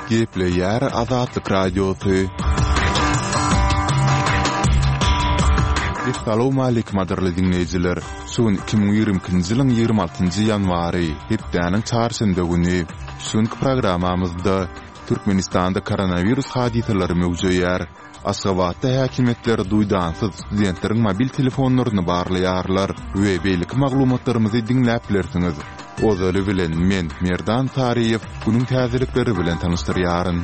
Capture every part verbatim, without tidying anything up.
Gepleýär Azatlyk Radiosy. Essalawmaleýkim gadyrly diňleýjiler! Şu gün iki müň ýigrimi ikinji ýylyň ýigrimi altynjy ýanwary, hepdäniň çarşenbe güni. Şu günki programmamyzda Türkmenistanda koronawirus hadysalary möwjeýär. Aşgabatda häkimiýetler duýdansyz studentleriň mobil telefonlaryny barlaýarlar we beýleki maglumatlarymyzy diňläp bilersiňiz. Ozaly bilen men, Merdan Saryýew, günüň täzelikleri bilen tanyşdyrýaryn.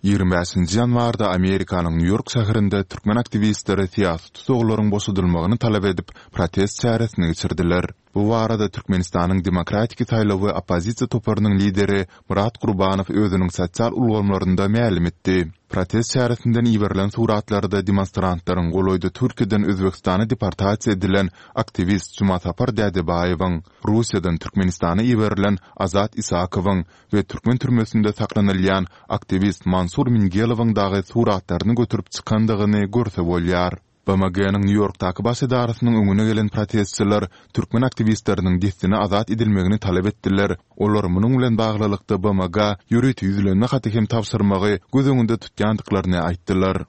Ýigrimi bäşinji ýanwarda Amerikanyň Nýu-Ýork şäherinde türkmen aktiwistleri syýasy tussaglaryň boşadylmagyny talap edip, protest çäresini geçirdiler. Bu barada Türkmenistanyň Demokratiki saýlawy oppozisiýa toparynyň lideri Myrat Gurbanow özüniň sosial ulgamlarynda mälim etdi. Protest çäresinden iberilen suratlarda demonstrantlaryň golaýda Türkiýeden Özbegistana deportasiýa edilen aktiwist Jumasapar Dädebaýewiň, Russiýadan Türkmenistana iberilen Azat Isakowyň we türkmen türmesinde saklanylýan aktiwist Mansur Mingelowyň dagy suratlaryny göterip çykandygyny görse bolýar. BMG-niň Nýu-Ýorkdaky baş edarasynyň öňüne gelen protestçiler türkmen aktiwistleriniň dessine azat edilmegini talap etdiler, olar munuň bilen baglylykda BMG-a ýörite ýüzlenme haty hem tabşyrmagy göz öňünde tutýandyklaryny aýtdylar.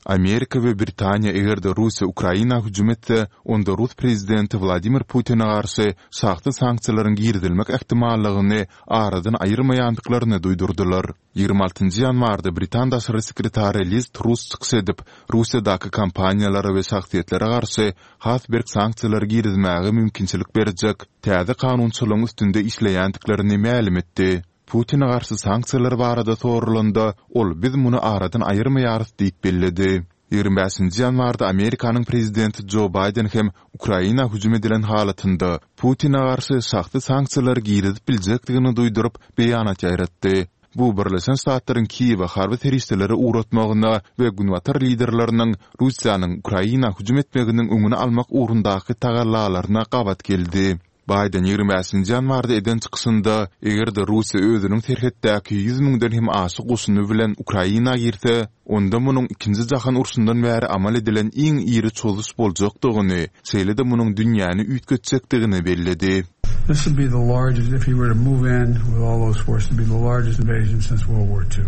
Amerika we Britaniýa eger-de Russiýa Ukraina hüjüm etse, onda rus prezidenti Wladimir Putine garşy şahsy sanksiýalaryň girizilmek ähtimallygyny aradan aýyrmaýandyklaryny duýdurdylar. Ýigrimi altynjy ýanwarda britan daşary sekretary Liz Truss çykyş edip, Russiýadaky kompaniýalara we şahsyýetlere garşy has berk sanksiýalary girizmäge mümkinçilik berjek täze kanunçylygyň üstünde işleýändiklerini mälim etdi. Putine garşy sanksiýalar barada soralanda, ol biz muny aradan aýyrmaýarys diýip belledi. Ýigrimi bäşinji ýanwarda Amerikanyň prezidenti Jo Baýden hem Ukraina hüjüm edilen halatynda Putine garşy şahsy sanksiýalary girizip biljekdigini duýduryp, beýanat ýaýratdy. Bu Birleşen Ştatlaryň Kiýewe harby serişdeleri ugratmagyna we günbatar liderleriniň Russiýanyň Ukraina hüjüm etmeginiň öňüni almak ugrundaky tagallalaryna gabat geldi. Baýden ýigrimi bäşinji ýanwarda eden çykyşynda, eger-de Russiýa özüniň serhetdäki ýüz müňden hem aşa goşuny bilen Ukraina girse, onda munuň Ikinji jahan urşundan bäri amal edilen iň iri çozuş boljakdygyny, şeýle-de munuň dünýäni üýtgetjekdigini belledi. This would be the largest, if he were to move in with all those forces, it'd be the largest invasion since World War Two.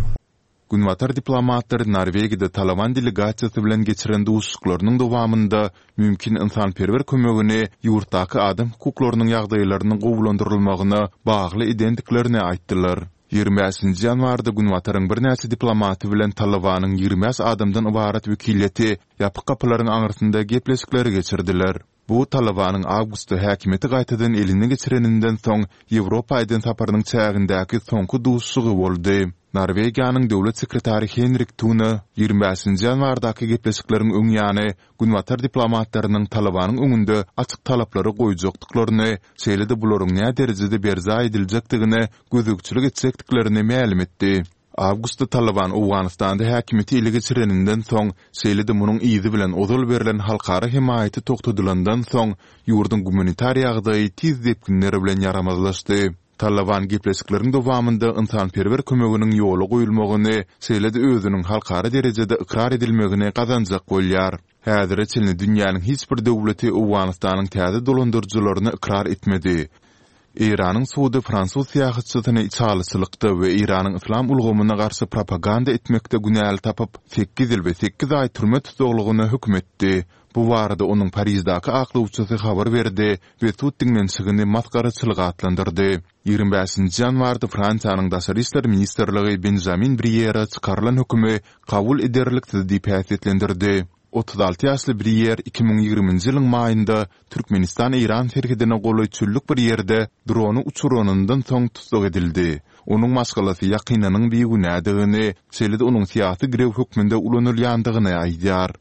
Günbatar diplomatlary Norwegiýada Talaban delegasiýasy bilen geçiren duşuşyklarynyň dowamynda mümkin ynsanperwer kömegini ýurtdaky adam hukuklarynyň ýagdaýlarynyň gowulandyrylmagyna bagly edendiklerini aýtdylar. Ýigrimi bäşinji ýanwarda Günbataryň birnäçe diplomaty bilen Talabanyň ýigrimi bäş adamdan ybarat wekiliýeti ýapyk gapylaryň aňyrsynda gepleşikleri geçirdiler. Bu Talabanyň awgustda häkimiýeti gaýtadan eline geçireninden soň Ýewropa eden saparynyň çägindäki soňky duşuşygy boldy. Norwegiýanyň döwlet sekretary Henrik Tune ýigrimi bäşinji ýanwardaky gepleşikleriň öň ýany günbatar diplomatlarynyň Talabanyň öňünde açyk talaplary goýjakdyklaryny, şeýle-de bularyň näderejede berjaý ediljekdigine gözegçilik etjekdiklerini mälim etdi. Awgustda Talyban Owganystanda häkimiýeti ele geçireninden soň, şeýle-de munuň yzy bilen ozal berlen halkara hemaýaty togtadylandan soň, ýurduň gumanitar ýagdaýy tiz depginler bilen ýaramazlaşdy. Talyban gepleşikleriň dowamynda ynsanperwer kömeginiň ýola goýulmagyny, şeýle-de özüniň halkara derejede ykrar edilmegini gazanjak bolýar. Häzire çenli dünýäniň hiç bir döwleti Owganystanyň täze dolandyryjylaryny ykrar etmedi. Eýranyň sudy fransuz syýahatçysyny içalyçylykda we Eýranyň yslam ulgamyna garşy propaganda etmekde günäli tapyp, sekiz ýyl we sekiz aý türme tussaglygyna höküm etdi. Bu barada onuň Pariždaky aklawçysy habar berdi we sud diňlenişigini masgaraçylyk atlandyrdy. Ýigrimi bäşinji ýanwarda Fransiýanyň Daşary işler ministrligi Benžamin Briýere çykarylan hökümi kabul ederliksiz diýip häsiýetlendirdi. Otuz alty ýaşly Briýer iki müň ýigriminji ýylyň maýynda Türkmenistan-Eýran serhedine golaý çöllük bir ýerde drony uçuranyndan soň tussag edildi. Onuň maşgalasy ýakynynyň bigünädigini, şeýle-de onuň syýasy girew hökmünde ulanylýandygyny aýdýar.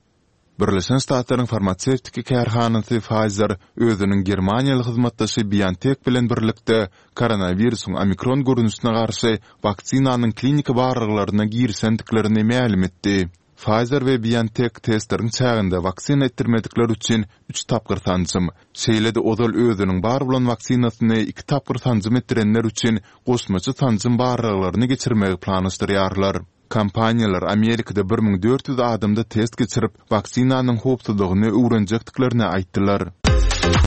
Birleşen Ştatlaryň farmasewtiki kärhanasy Pfizer özüniň germaniýaly hyzmatdaşy BioNTech bilen birlikde koronawirusyň omikron görnüşine garşy waksinanyň kliniki barlaglaryna girişendiklerini mälim etdi. Pfizer we BioNTech testleriň çäginde waksina etdirmedikler üçin üç tapgyr sanjym, şeýle-de ozal özüniň bar bolan waksinasyny iki tapgyr sanjym etdirenler üçin goşmaça sanjym barlaglaryny geçirmegi planlaşdyrýarlar. Kompaniýalar Amerikada bir müň dört ýüz adamda test geçirip, waksinanyň howpsuzlygyny öwrenjekdiklerini aýtdylar.